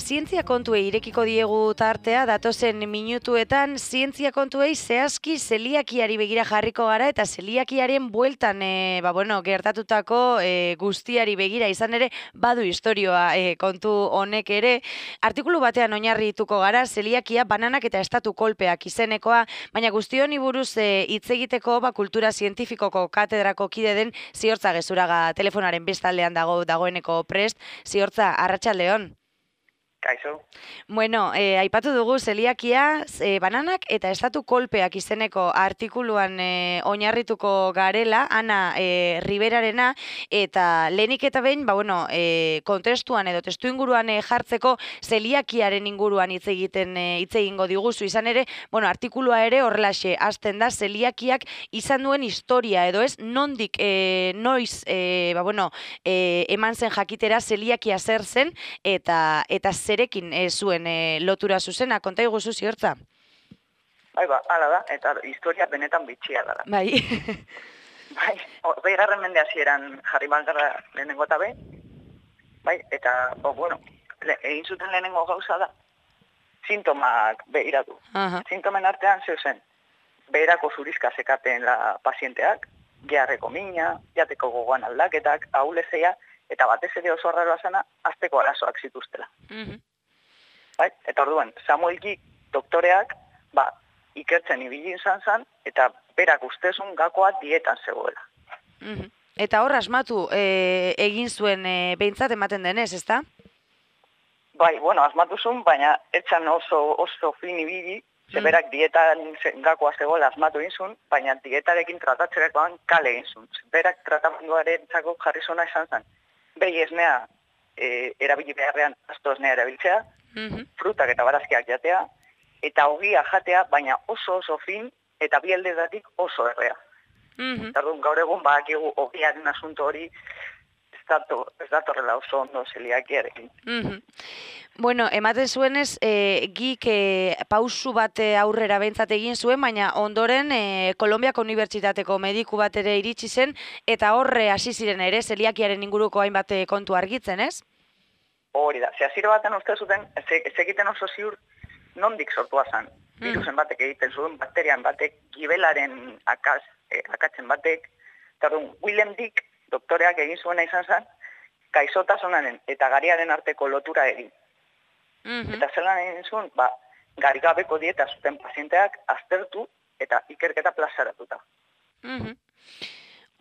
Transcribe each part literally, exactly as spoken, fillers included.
zientzia kontuei irekiko diegu tartea, datozen minutuetan zientzia kontuei zehazki zeliakiari begira jarriko gara eta zeliakiaren bueltan e, ba, bueno, gertatutako e, guztiari begira izan ere badu historioa e, kontu honek ere. Artikulu batean oinarrituko gara zeliakia bananak eta estatu kolpeak izenekoa, baina guzti honi buruz e, hitz egiteko ba, kultura zientifikoko katedrako kide den Ziortza Gezuraga telefonaren bestaldean dago dagoeneko prest. Ziortza, arratsaldeon. Kaixo. Bueno, eh, aipatu dugu zeliakia, eh, bananak eta estatu kolpeak izeneko artikuluan eh, oinarrituko garela, Ana eh, Riberarena, eta lehenik eta behin, ba, bueno, eh, kontestuan edo testu inguruan eh, jartzeko zeliakiaren inguruan hitz egiten eh, hitz egingo diguzu izan ere, bueno, artikulua ere horrelaxe hasten da zeliakiak izan duen historia edo ez, nondik eh, noiz, eh, ba, bueno, eh, eman zen jakitera zeliakia zer zen eta eta zerekin e, zuen e, lotura zuzena, konta iguzu Ziortza? Bai, ba, ala da, eta historia benetan bitxia da. Bai. Bai, hogei garren mende hasieran jarri balgarra lehenengo eta be, bai, eta, o, bueno, le, egin zuten lehenengo gauza da, sintomak behiratu. Aha. Sintomen artean zeuzen, beherako zurizka zekaten la pazienteak, geharreko mina, jateko gogoan aldaketak, ahulezea, eta batez ere oso arraroa zena, azteko arazoak zituztela. Mhm. Bai? Eta orduan, Samuelki doktoreak, ba, ikertzen ibili izan zen, eta berak ustezun gakoa dietan zegoela. Mhm. Eta hor asmatu e, egin zuen e, behintzat ematen denez, ezta? Bai, bueno, asmatu zuen, baina etxan oso, oso fin ibili, ze berak dietan gakoa zegoela asmatu egin zuen, baina dietarekin tratatzerakoan kale egin zuen. Berak tratamenduaren txako jarri zona esan zen. Behi esnea e, erabili beharrean asto esnea erabiltzea, Mhm. frutak eta barazkiak jatea, eta ogia jatea, baina oso oso fin eta bi aldeetatik oso errea. Mhm. Tardun, gaur egun badakigu ogiaren asunto hori ez dato, ez datorrela oso ondo zeliakiarekin. Mhm. Bueno, ematen zuenez, e, gik e, pausu bat e, aurrera behintzat egin zuen, baina ondoren e, Kolonbiako Unibertsitateko mediku bat ere iritsi zen, eta horre hasi ziren ere, zeliakiaren inguruko hainbat e, kontu argitzen, ez? Hori da, ze hasiera baten uste zuten, ez egiten oso ziur nondik sortua zen. Virusen batek egiten zuen, bakterian batek, gibelaren akaz, eh, akatzen batek, tardun, William Dick, doktoreak egin zuena izan zen, gaixotasunaren eta gariaren arteko lotura egin. Mhm. Eta zelan egin zuen, ba, garigabeko dieta zuten pazienteak aztertu eta ikerketa plazaratuta. Mhm.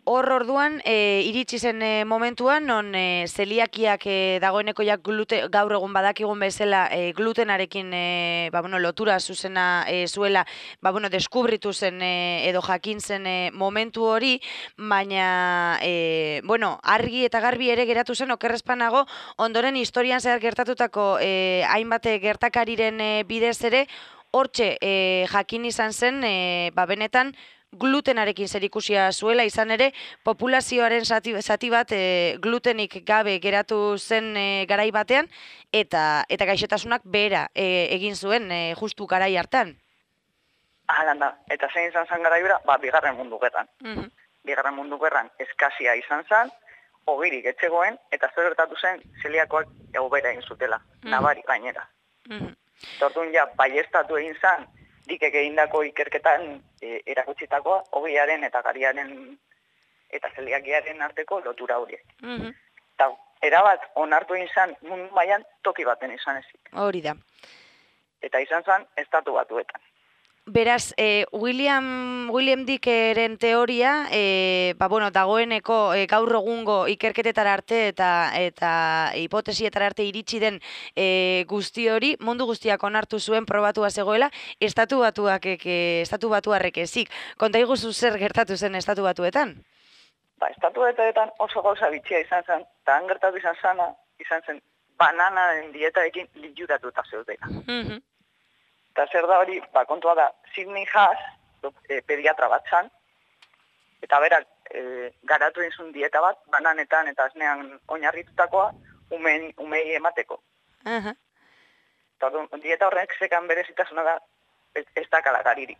Hor orduan, e, iritsi zen e, momentuan, non e, zeliakiak e, dagoeneko jak glute, gaur egun badakigun bezala e, glutenarekin e, ba, bueno, lotura zuzena e, zuela, ba, bueno, deskubritu zen e, edo jakin zen e, momentu hori, baina, e, bueno, argi eta garbi ere geratu zen okerrezpanago, ondoren historian zehar gertatutako e, hainbat gertakariren e, bidez ere, hortxe e, jakin izan zen, e, ba, benetan, glutenarekin zerikusia zuela, izan ere populazioaren zati, zati bat e, glutenik gabe geratu zen e, garai batean eta eta gaixotasunak behera e, egin zuen e, justu garai hartan. Ahalan da, eta zein izan zen garaibera, ba, bigarren mundu gerran. Mhm. Bigarren mundu gerran eskasia izan zen, ogirik etxegoen, eta zer gertatu zen zeliakoak eubera egin zutela, Mhm. nabari gainera. Mhm. Tortun ja, baiestatu egin zen, dikek egindako ikerketan e, erakutsitakoa, ogiaren eta gariaren eta zeliakiaren arteko lotura horiek. Mhm. Eta erabat onartu egin zen mundu mailan toki baten izan ezik. Hori da. Eta izan zen estatu batuetan. Beraz, eh, William, William Dickeren teoria, eh, ba, bueno, dagoeneko eh, gaur egungo ikerketetara arte eta eta hipotesietara arte iritsi den eh, guzti hori, mundu guztiak onartu zuen probatua zegoela, estatu batuak, eh, estatu batuarrek ezik. Konta iguzu zer gertatu zen estatu batuetan? Ba, estatu batuetan oso gauza bitxia izan zen, eta han gertatu izan zana, izan zen bananaren dietarekin liuratuta zeudela. Mhm. Eta zer da hori, ba, kontua da, Sidney Haas, e, pediatra bat zan, eta berak e, garatu izun dieta bat, bananetan eta esnean oinarritutakoa, umen, umei emateko. Aha. Eta dieta horrek zekan berezitasuna da, ez, ez dakala garirik.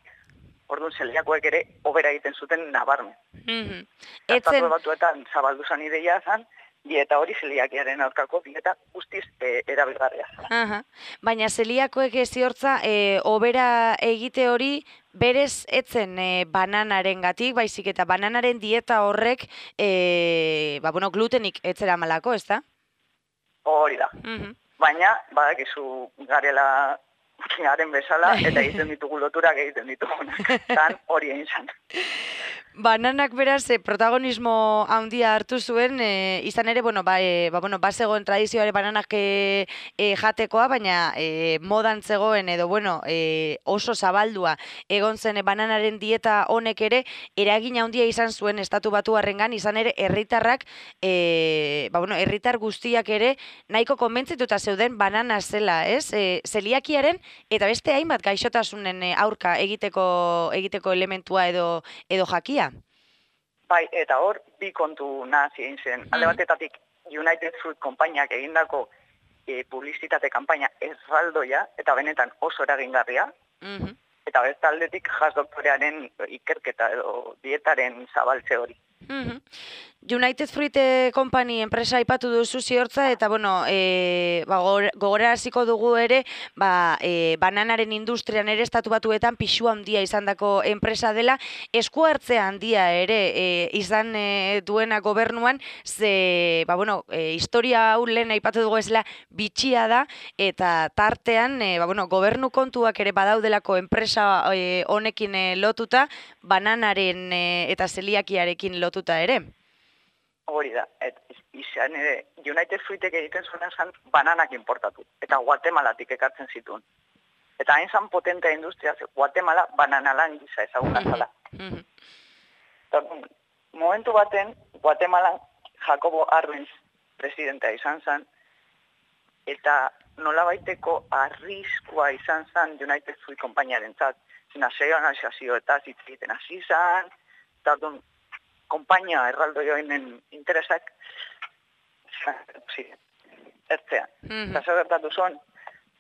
Orduan, zeliakoek ere, obera egiten zuten nabarmen. Mhm. Estatu Etzen, batuetan zabaldu zan ideia zan, dieta hori zeliakiaren aurkako dieta guztiz e, erabilgarria zela. Aha. Baina zeliakoek ziortza, e, obera egite hori berez etzen e, bananaren gatik, baizik eta bananaren dieta horrek e, ba, bueno, glutenik etzera malako, ez da? Hori da. Mhm. Baina, badakizu garela garen bezala, eta egiten ditugu loturak egiten ditugunak. Tan hori egin zan. Bananak beraz e, protagonismo handia hartu zuen, e, izan ere, bueno, ba, e, ba, bueno, ba zegoen tradizioare bananak e, e, jatekoa, baina e, modan zegoen edo, bueno, e, oso zabaldua egon zen e, bananaren dieta honek ere, eragin handia izan zuen estatu batuarrengan, izan ere, herritarrak, e, ba, bueno, herritar guztiak ere, nahiko konbentzituta zeuden banana zela, ez? E, zeliakiaren eta beste hainbat gaixotasunen e, aurka egiteko egiteko elementua edo edo jakia. Bai, eta hor, bi kontu nazi egin zen. Alde batetatik, United Fruit konpainiak egindako e, publizitate kanpaina erraldoia, eta benetan oso eragingarria, Mhm. eta beste aldetik jazz doktorearen ikerketa edo dietaren zabaltze hori. Mhm. United Fruit eh, Company enpresa aipatu duzu ziortza, eta bueno, e, ba, gogoraraziko dugu ere, ba, e, bananaren industrian ere estatu batuetan pixu handia izandako enpresa dela, esku hartzea handia ere e, izan e, duena gobernuan, ze, ba, bueno, e, historia hau lehen aipatu dugu ezela bitxia da, eta tartean, e, ba, bueno, gobernu kontuak ere badaudelako enpresa e, honekin e, lotuta, bananaren e, eta zeliakiarekin lotuta ere. Hori da, et, izan ere, United Fruitek egiten zuena zan bananak importatu, eta Guatemalatik ekartzen zituen. Eta hain zan potentea industria, ze Guatemala bananalan gisa ezaguna zala. Momentu baten, Guatemalan Jacobo Arbenz presidentea izan zan, eta nolabaiteko arriskua izan zan United Fruit konpainiaren zat. Nazionalizazio eta hitz egiten hasi zan, eta orduan, konpainia erraldo joinen interesak ziren, ertzean. Eta zer gertatu zuen,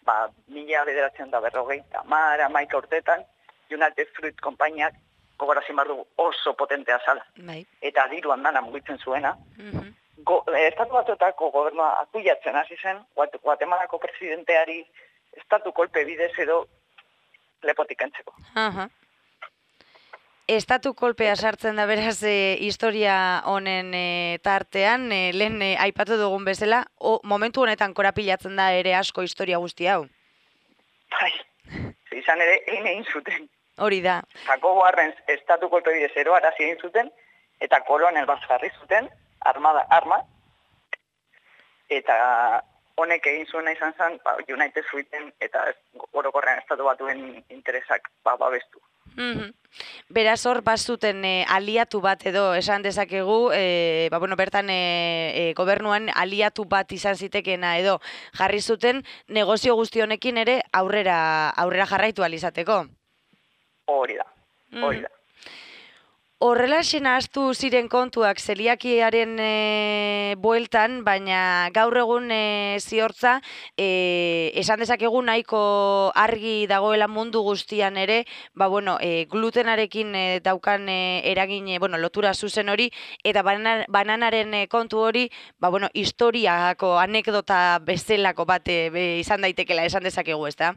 ba, mila bederatzen da berrogei, tamara, maika urtetan, United Fruit konpainiak gogorazin behar dugu oso potentea zala. Bai. Eta diru handana mugitzen zuena. Go, estatu batuetako gobernua akuiatzen hasi zen, Guatemalako presidenteari estatu kolpe bidez edo lepotik entzeko. Aha. Estatu kolpea sartzen da beraz e, historia honen e, tartean, e, lehen e, aipatu dugun bezala, o, momentu honetan korapilatzen da ere asko historia guzti hau. Bai, izan ere, egin egin zuten. Hori da. Jacobo Arbenz estatu kolpe bidez eroarazi egin zuten, eta kolonel bat jarri zuten, armada, arma, eta honek egin zuena izan zen, ba, United Fruiten eta orokorrean estatu batuen interesak ba, babestu. Mm-hmm. Beraz hor bazuten e, aliatu bat edo esan dezakegu, e, ba, bueno, bertan e, e, gobernuan aliatu bat izan zitekeena edo jarri zuten negozio guzti honekin ere aurrera aurrera jarraitu ahal izateko. Hori da, hori da. Horrela ahaztu ziren kontuak zeliakiaren e, bueltan, baina gaur egun e, ziortza, e, esan dezakegu nahiko argi dagoela mundu guztian ere, ba, bueno, e, glutenarekin e, daukan e, eragin, e, bueno, lotura zuzen hori, eta banan, bananaren e, kontu hori, ba, bueno, historiako anekdota bezalako bat e, be, izan daitekela esan dezakegu, ez da?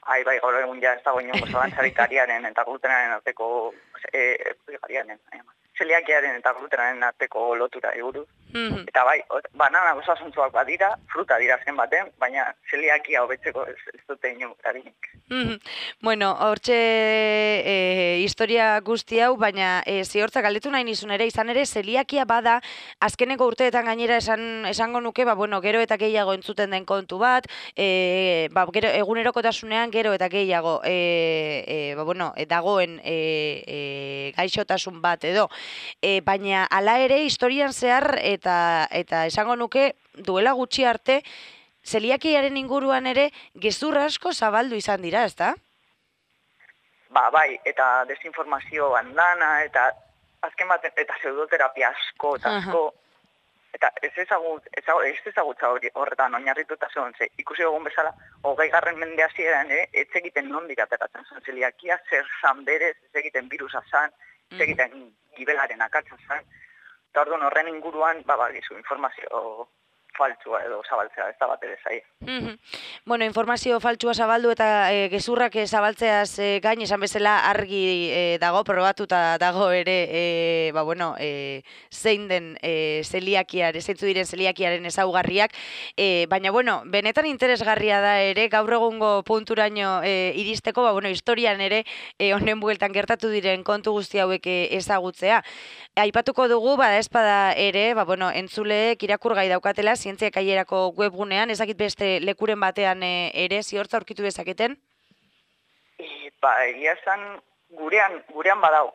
Ai, bai, gaur egun ja ez dago inongo zalantzarik ariaren eta glutenaren arteko, e, ariaren, zeliakiaren eta glutenaren arteko lotura eguruz. Mm-hmm. Eta bai, banana osasuntzuak badira, fruta dira zen baten, baina zeliakia hobetzeko ez, ez dute inongo eraginik. Mm-hmm. Bueno, hortxe e, historia guzti hau, baina e, ziortza galdetu nahi nizun ere, izan ere zeliakia bada, azkeneko urteetan gainera esan, esango nuke, ba, bueno, gero eta gehiago entzuten den kontu bat, e, ba, gero, egunerokotasunean gero eta gehiago e, e, ba, bueno, e, dagoen e, e, gaixotasun bat edo, e, baina hala ere historian zehar eta, eta esango nuke duela gutxi arte, zeliakiaren inguruan ere gezur asko zabaldu izan dira, ezta? Ba, bai, eta desinformazio handana, eta azken bat, eta pseudoterapia asko, eta asko, eta ez ezagut, ez ezagutza hori horretan oinarrituta zegoen, ze ikusi dugun bezala, hogei garren mende hasieran ere, ez egiten nondik ateratzen zen zeliakia, zer zan berez, ez egiten virusa zan, ez egiten gibelaren akatza zan, Eta orduan horren inguruan, ba, bagizu, informazio faltsua edo zabaltzea, ez da bat ere zai. Mhm. Bueno, informazio faltsua zabaldu eta e, gezurrak e, zabaltzeaz e, gain esan bezala argi e, dago, probatuta dago ere, e, ba, bueno, e, zein den e, zeliakiare, zeintzu diren zeliakiaren ezaugarriak, e, baina, bueno, benetan interesgarria da ere, gaur egungo punturaino e, iristeko, ba, bueno, historian ere, e, honen bueltan gertatu diren kontu guzti hauek e, ezagutzea. Aipatuko dugu, bada espada ere, ba, bueno, entzuleek irakurgai daukatela, zientzia kaierako webgunean, ezakit beste lekuren batean e, ere, ziortza aurkitu dezaketen? E, ba, egia esan gurean, gurean badago.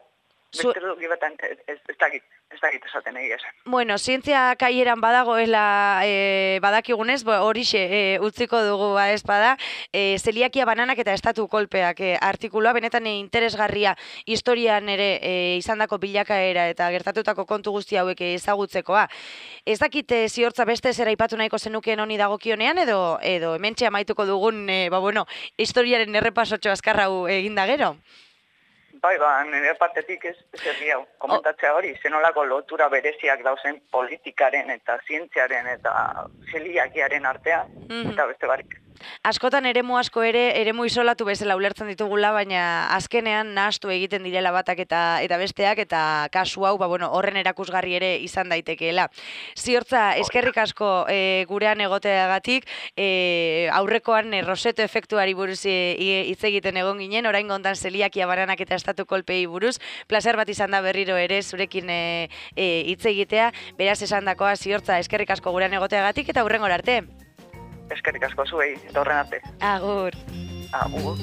Zu... Beste dugi batan ez, ez, ez dakit, ez dakit esaten egia esan. Bueno, zientzia kaieran badagoela e, badakigunez, horixe e, utziko dugu ba espada, e, zeliakia bananak eta estatu kolpeak e, artikulua, benetan e, interesgarria historian ere e, izandako bilakaera eta gertatutako kontu guzti hauek ezagutzekoa. Ez dakit e, ziortza beste zera ipatu nahiko zenukeen honi dagokionean edo edo hementxe amaituko dugun e, ba, bueno, historiaren errepasotxo azkar hau eginda gero? Bai, ba, nire partetik ez, ez erdi hau, komentatzea hori, zenolako lotura bereziak dauzen politikaren eta zientziaren eta zeliakiaren artean, mm-hmm. eta beste barik. Askotan eremu asko ere, eremu isolatu bezala ulertzen ditugula, baina azkenean nahastu egiten direla batak eta eta besteak, eta kasu hau, ba, bueno, horren erakusgarri ere izan daitekeela. Ziortza, eskerrik asko e, gurean egoteagatik, e, aurrekoan e, Roseto efektuari buruz hitz e, egiten egon ginen, orain gontan zeliakia bananak eta estatu kolpei buruz, plazer bat izan da berriro ere zurekin hitz e, e, egitea, beraz esandakoa Ziortza, eskerrik asko gurean egoteagatik eta hurrengora arte. Eskerrik asko zuei, eta horren arte. Agur. Agur.